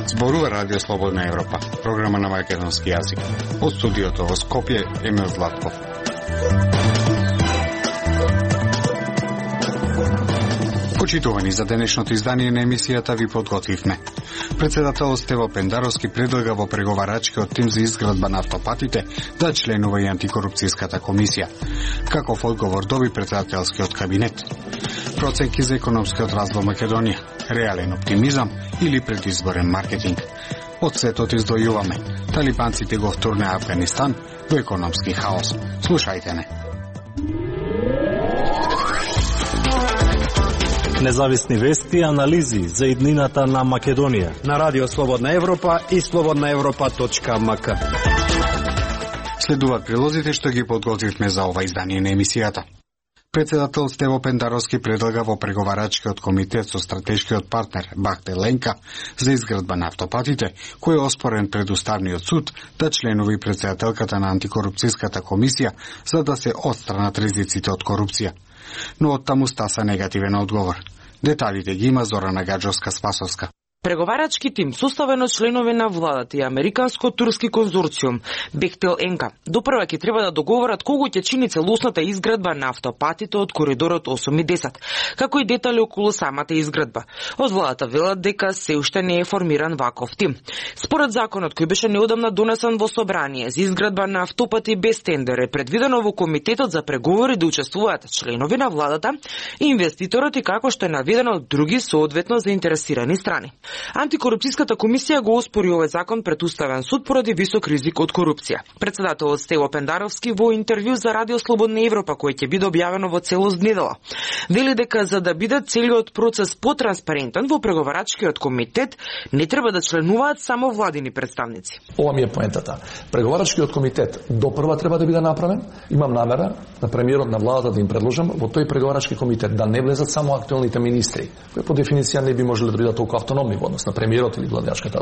Зборува Радио Слободна Европа, програма на македонски јазик. Од студиото во Скопје, Емил Златков. Почитувани, за денешното издание на емисијата ви подготвивме. Председателот Стево Пендаровски предлага во преговарачкиот тим за изградба на автопатите да членува и антикорупцијската комисија. Каков одговор доби председателскиот кабинет? Проценки за економскиот развој Македонија, реален оптимизам или предизборен маркетинг? Од светот издвојуваме. Талибанците го втурнаа Афганистан во економски хаос. Слушајте не. Независни вести и анализи за иднината на Македонија на Радио Слободна Европа и slobodnaevropa.mk. Следуваат прилозите што ги подготвивме за ова издание на емисијата. Председател Стево Пендаровски предлага во преговарачкиот комитет со стратешкиот партнер Бахте Ленка за изградба на автопатите, кој е оспорен пред Уставниот суд, да членува и председателката на антикорупцијската комисија за да се отстранат ризиците од корупција. Но од таму стаса негативен одговор. Деталите ги има Зорана Гаджовска-Спасовска. Преговарачки тим, составен од членови на владата и американско-турски конзорциум Бехтел Енка, допрва ќе треба да договорат колку ќе чини целосната изградба на автопатите од коридорот 8 и 10, како и детали околу самата изградба. Од владата велат дека се уште не е формиран ваков тим. Според законот кој беше неодамна донесен во собрание за изградба на автопати без тендер е предвидено во комитетот за преговори да учествуваат членови на владата и инвеститорот и како што е наведено други соодветно заинтересирани страни. Антикорупцијската комисија го оспори овој закон пред Уставен суд поради висок ризик од корупција. Председателот Стево Пендаровски во интервју за Радио Слободна Европа, кој ќе биде објавено во целост недела, вели дека за да биде целиот процес потранспарентен во преговарачкиот комитет не треба да членуваат само владини представници. Ова ми е поентата. Преговарачкиот комитет допрва треба да биде направен. Имам намера на премиерот на владата да им предложам во тој преговарачки комитет да не влезат само актуелните министри, кои по дефиниција не би можеле да бидат толку автономни во однос на премиерот или владачката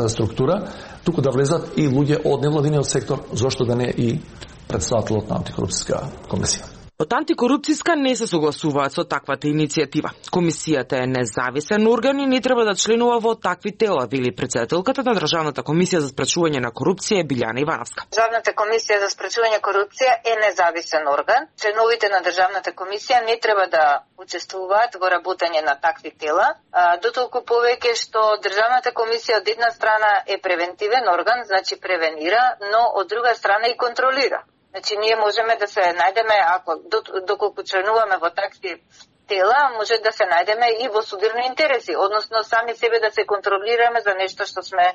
структура, туку да влезат и луѓе од невладиниот сектор, зошто да не и председателот на антикорупцијска комисија. Од антикорупцијска не се согласуваат со таквата иницијатива. Комисијата е независен орган и не треба да членува во такви тела, вели председателката на Државната комисија за спречување на корупција Билјана Ивановска. Државната комисија за спречување корупција е независен орган. Членовите на Државната комисија не треба да учествуваат во работење на такви тела, дотолку повеќе што Државната комисија од една страна е превентивен орган, значи превенира, но од друга страна и контролира. Значи, ние можеме да се најдеме, ако доколку членуваме во такви тела, може да се најдеме и во судирни интереси, односно сами себе да се контролираме за нешто што сме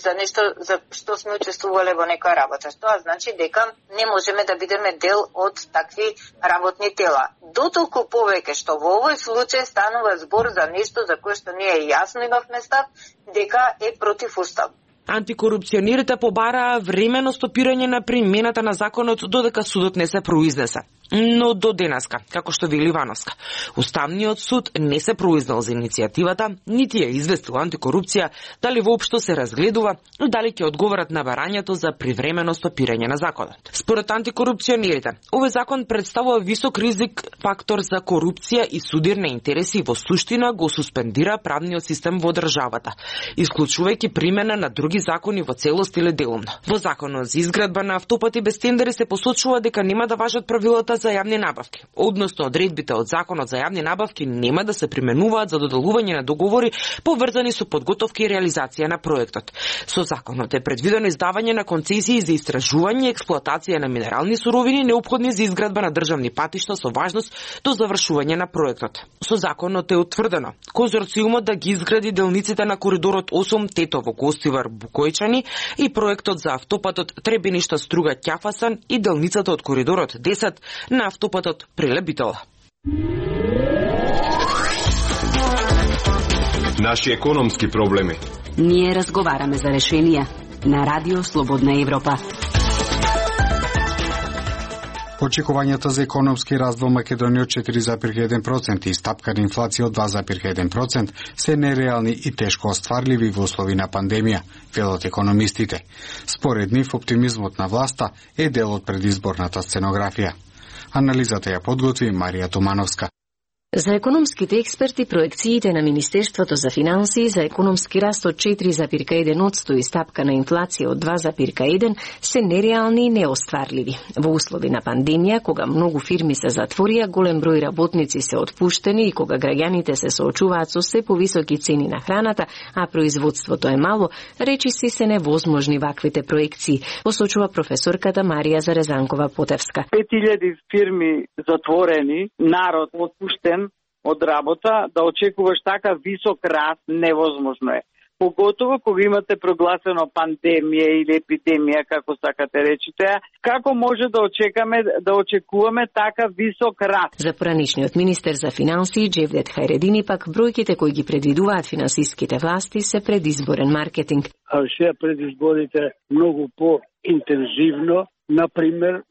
за нешто за што сме учествувале во некоја работа. Тоа значи дека не можеме да бидеме дел од такви работни тела. Дотолку повеќе што во овој случај станува збор за нешто за кое што ние јасно имавме став дека е противуставно. Антикорупционерите побараа времено стопирање на примената на законот додека судот не се произнесе. Но до денеска, како што вели Ивановска, Уставниот суд не се произнел за иницијативата, нити ја известил антикорупција дали воопшто се разгледува и дали ќе одговорат на барањето за привремено стопирање на законот. Според антикорупционерите, овој закон представува висок ризик фактор за корупција и судирни интереси и во суштина го суспендира правниот систем во државата, исклучувајќи примена на други закони во целост или делумно. Во законот за изградба на автопати без тендери се посочува дека нема да важат правилата за јавни набавки. Односно, одредбите од законот за јавни набавки нема да се применуваат за доделување на договори поврзани со подготовка и реализација на проектот. Со законот е предвидено издавање на концесии за истражување и експлоатација на минерални суровини неопходни за изградба на државни патишта со важност до завршување на проектот. Со законот е утврдено конзорциумот да ги изгради делниците на коридорот 8 Тетово Гостивар Букојчани и проектот за автопатот Требеништа Струга Ќафасан и делницата од коридорот 10 на автопатот Прилеп-Битола. Наши економски проблеми. Ние разговараме за решенија на Радио Слободна Европа. Очекувањата за економски раст во Македонија од 4,1% и стапка на инфлација од 2,1% се нереални и тешко остварливи во услови на пандемија, велат економистите. Според нив, оптимизмот на власта е дел од предизборната сценографија. Анализата ја подготви Марија Тумановска. За економските експерти, проекциите на Министерството за финансии за економски раст од 4,1% и стапка на инфлација од 2,1% се нереални и неостварливи. Во услови на пандемија, кога многу фирми се затворија, голем број работници се отпуштени и кога граѓаните се соочуваат со се повисоки цени на храната, а производството е мало, речиси се невозможни ваквите проекции, посочува професорката Марија Зарезанкова-Потевска. 5000 фирми затворени, народ отпуштен од работа, да очекуваш така висок раст невозможно е. Поготово кога имате прогласено пандемија или епидемија, како сакате речите, како може да очекуваме така висок раст? За поранишниот министер за финансии Джевдет Хајредини пак бројките кои ги предвидуваат финансиските власти се предизборен маркетинг. А сега предизборите многу по-интензивно. Например,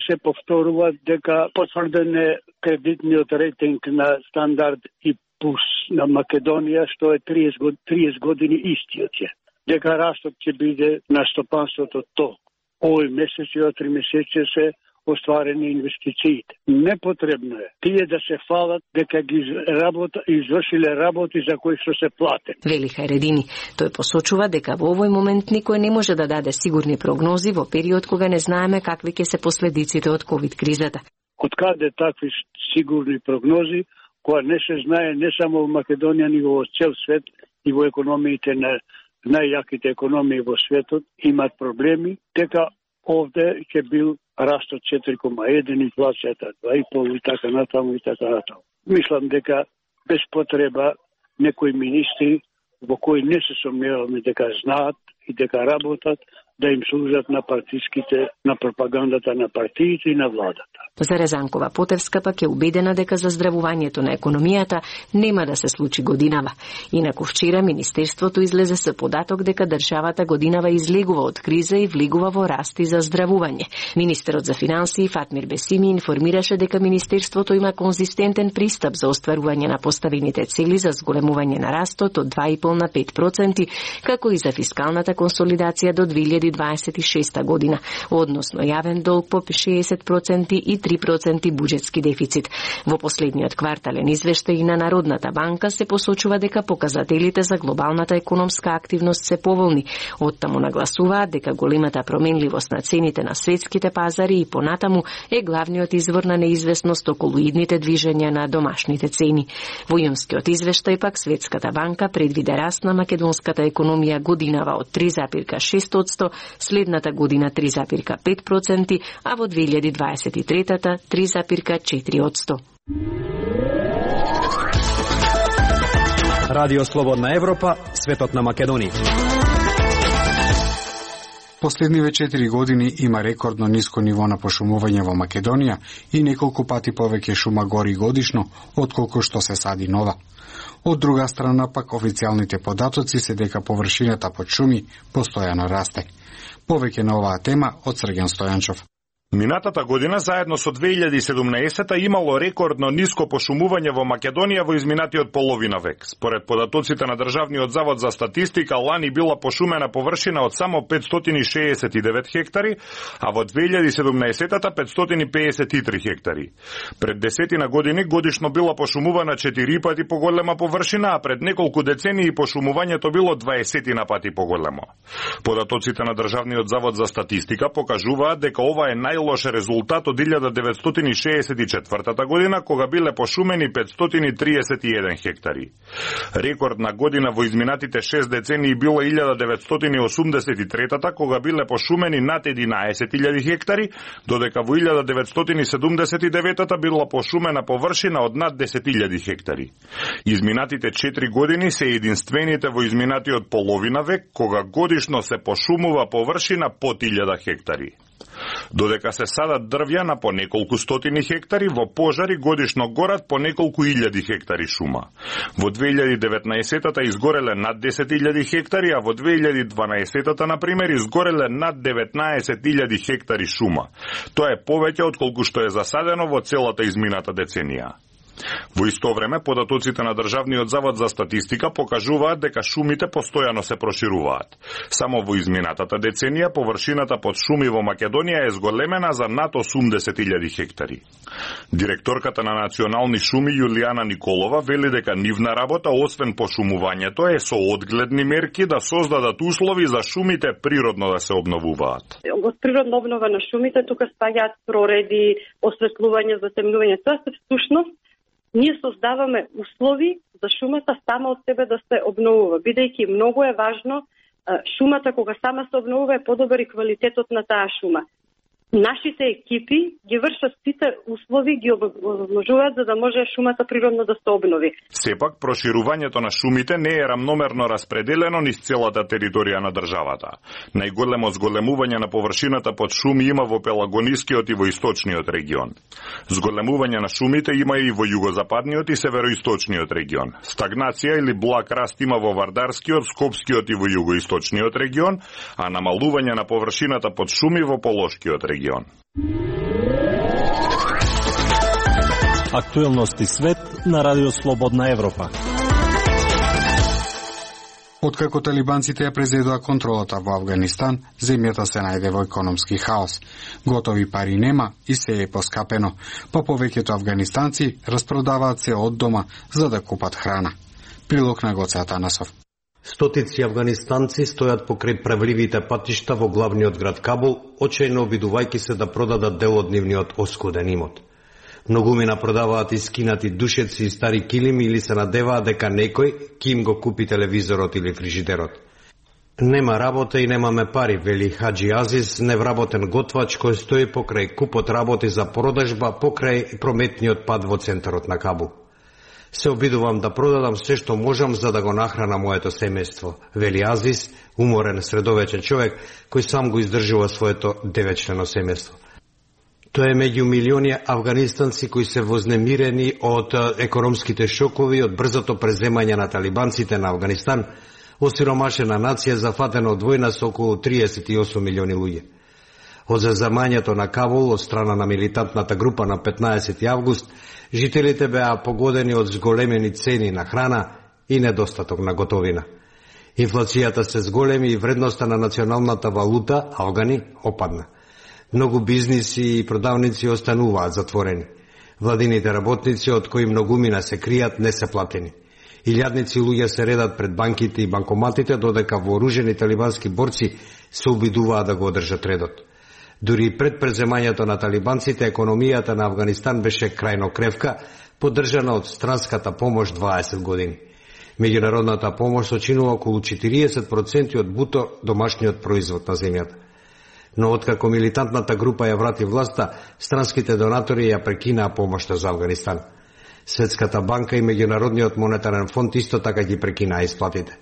се повторува дека потврден е кредитниот рейтинг на Стандард и Пулс на Македонија, што е 30 години истиот е. Дека растот ќе биде на стопанството толку. Овој месец и 3 месеци се остварени инвестициите. Непотребно е тие да се фалат дека ги извршиле работи за кои што се платени. Вели Хајредини. Тој посочува дека во овој момент никој не може да даде сигурни прогнози во период кога не знаеме какви ќе се последиците од ковид кризата. Откаде такви сигурни прогнози, кога не се знае не само во Македонија, ни во цел свет и во економиите на најјаките економии во светот имат проблеми, дека овде ќе бил растот 4,1, инфлацијата 2,5 и така натаму и така натаму. Мислам дека без потреба некои министри во кои не се сомневаме дека знаат и дека работат, да им служат на на пропагандата на партиите и на владата. Зарезанкова-Потевска пак е убедена дека заздравувањето на економијата нема да се случи годинава. Инаку вчера Министерството излезе со податок дека државата годинава излегува од криза и влегува во раст и заздравување. Министерот за финансии Фатмир Бесими информираше дека Министерството има конзистентен пристап за остварување на поставените цели за зголемување на растот од 2,5 на 5%, како и за фискалната консолидација до 2026 година, односно јавен долг по 60% и 3% буџетски дефицит. Во последниот квартален извештај на Народната банка се посочува дека показателите за глобалната економска активност се поволни. Оттаму нагласуваат дека големата променливост на цените на светските пазари и понатаму е главниот извор на неизвестност околу идните движења на домашните цени. Во јунскиот извештај пак Светската банка предвиде раст на македонската економија годинава од 3,6%, следната година 3,5%, а во 2023 3,4%. Радио Слободна Европа, светот на Македонија. Последниве 4 години има рекордно ниско ниво на пошумување во Македонија и неколку пати повеќе шума гори годишно, отколку што се сади нова. Од друга страна пак официјалните податоци се дека површината под шуми постојано расте. Повеќе на оваа тема од Срген Стојанчов. Минатата година, заедно со 2017, имало рекордно ниско пошумување во Македонија во изминатиот половина век. Според податоците на Државниот завод за статистика, лани била пошумена површина од само 569 хектари, а во 2017-та 553 хектари. Пред десетина години годишно била пошумувана 4 пати поголема површина, а пред неколку децении пошумувањето било 20 пати поголемо. Податоците на Државниот завод за статистика покажуваат дека ова е најлош резултат од 1964 година, кога биле пошумени 531 хектари. Рекордна година во изминатите 6 децении била 1983, кога биле пошумени над 11.000 хектари, додека во 1979 била пошумена површина од над 10.000 хектари. Изминатите 4 години се единствените во изминатиот половина век, кога годишно се пошумува површина под 1000 хектари. Додека се садат дрвја на по неколку стотини хектари, во пожари годишно горат по неколку илјади хектари шума. Во 2019-та изгореле над 10.000 хектари, а во 2012-та, например, изгореле над 19.000 хектари шума. Тоа е повеќе од колку што е засадено во целата измината деценија. Во исто време, податоците на Државниот завод за статистика покажуваат дека шумите постојано се прошируваат. Само во изминатата деценија површината под шуми во Македонија е зголемена за над 80.000 хектари. Директорката на Национални шуми Јулијана Николова вели дека нивна работа, освен пошумувањето, е со одгледни мерки да создадат услови за шумите природно да се обновуваат. Од природна обнова на шумите тука спаѓаат прореди, осветлување, затемнување. Тоа се всушност ние создаваме услови за шумата сама од себе да се обновува, бидејќи многу е важно шумата кога сама се обновува е подобар и квалитетот на таа шума. Нашите екипи ги вршат сите услови, ги обложуваат за да може шумата природно да се обнови. Сепак, проширувањето на шумите не е рамномерно распределено низ целата територија на државата. Најголемо зголемување на површината под шуми има во Пелагонискиот и во Источниот регион. Зголемување на шумите има и во Југозападниот и Североисточниот регион. Стагнација или благ раст има во Вардарскиот, Скопскиот и во Југоисточниот регион, а намалување на површината под шуми во Полошкиот регион. Актуелности свет на Радио Слободна Европа. Откако талибанците ја презедоа контролата во Авганистан, земјата се најде во економски хаос. Готови пари нема и се е поскапено, па повеќето афганистанци распродаваат се од дома за да купат храна. Прилог на Гоце Атанасов. Стотици афганистанци стојат покрај правливите патишта во главниот град Кабул, очајно обидувајќи се да продадат дел од нивниот оскуден имот. Многумина продаваат искинати душеци и стари килими или се надеваат дека некој ќе им го купи телевизорот или фрижидерот. Нема работа и немаме пари, вели Хаджи Азиз, невработен готвач кој стои покрај купот работи за продажба покрај прометниот пат во центарот на Кабул. Се обидувам да продадам се што можам за да го нахрана моето семејство, вели Азис, уморен средовечен човек кој сам го издржува своето 9-члено семејство. Тоа е меѓу милиони афганистанци кои се вознемирени од економските шокови, од брзото преземање на талибанците на Афганистан, осиромашена нација зафатена од војна со околу 38 милиони луѓе. Од заземањето на Кабул од страна на милитантната група на 15 август, жителите беа погодени од зголемени цени на храна и недостаток на готовина. Инфлацијата се зголеми и вредноста на националната валута, афгани, опадна. Многу бизниси и продавници остануваат затворени. Владините работници, од кои многумина се кријат, не се платени. Илјадници луѓе се редат пред банките и банкоматите, додека вооружени талибански борци се обидуваат да го одржат редот. Дури пред преземањето на талибанците, економијата на Афганистан беше крајно кревка, поддржана од странската помош 20 години. Меѓународната помош сочинува околу 40% од буто домашниот производ на земјата. Но откако милитантната група ја врати власта, странските донатори ја прекинаа помошта за Афганистан. Светската банка и Меѓународниот монетарен фонд исто така ги прекинаа исплатите.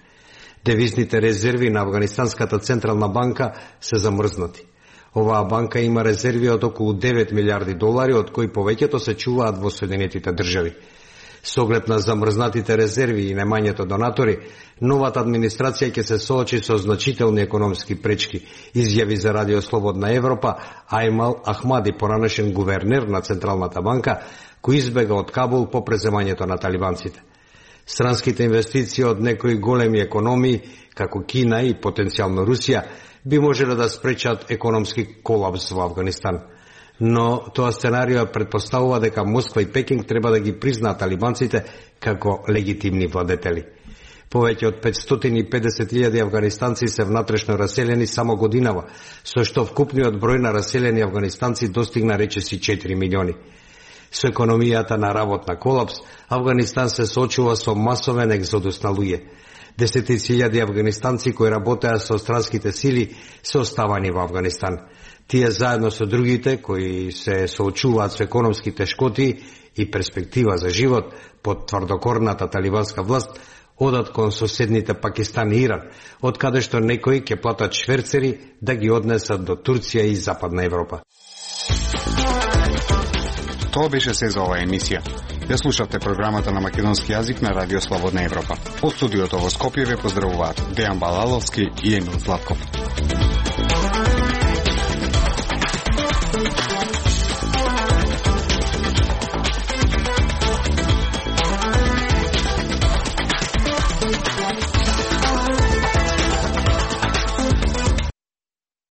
Девизните резерви на Афганистанската централна банка се замрзнати. Оваа банка има резерви од околу 9 милиарди долари, од кои повеќето се чуваат во Соединетите држави. Со оглед на замрзнатите резерви и немањето донатори, новата администрација ќе се соочи со значителни економски пречки, изјави за Радио Слободна Европа Аймал Ахмади, поранешен гувернер на Централната банка, кој избега од Кабул по преземањето на талибанците. Странските инвестиции од некои големи економии, како Кина и потенцијално Русија, би можеле да спречат економски колапс во Афганистан. Но тоа сценарио предпоставува дека Москва и Пекинг треба да ги признаат талибанците како легитимни владетели. Повеќе од 550.000 афганистанци се внатрешно раселени само годинава, со што вкупниот број на раселени афганистанци достигна речиси 4 милиони. Со економијата на работна колапс, Афганистан се соочува со масовен екзодус на луѓе. Десетици илјади афганистанци кои работеа со странските сили се оставани во Афганистан. Тие заедно со другите кои се соочуваат со економски тешкоти и перспектива за живот под тврдокорната талибанска власт, Одат кон соседните Пакистан и Иран, од каде што некои ќе платат шверцери да ги однесат до Турција и Западна Европа. Тоа беше се за оваа емисија. Ја слушавте програмата на македонски јазик на Радио Слободна Европа. Од студиото во Скопје ве поздравуваат Дејан Балаловски и Емил Златков.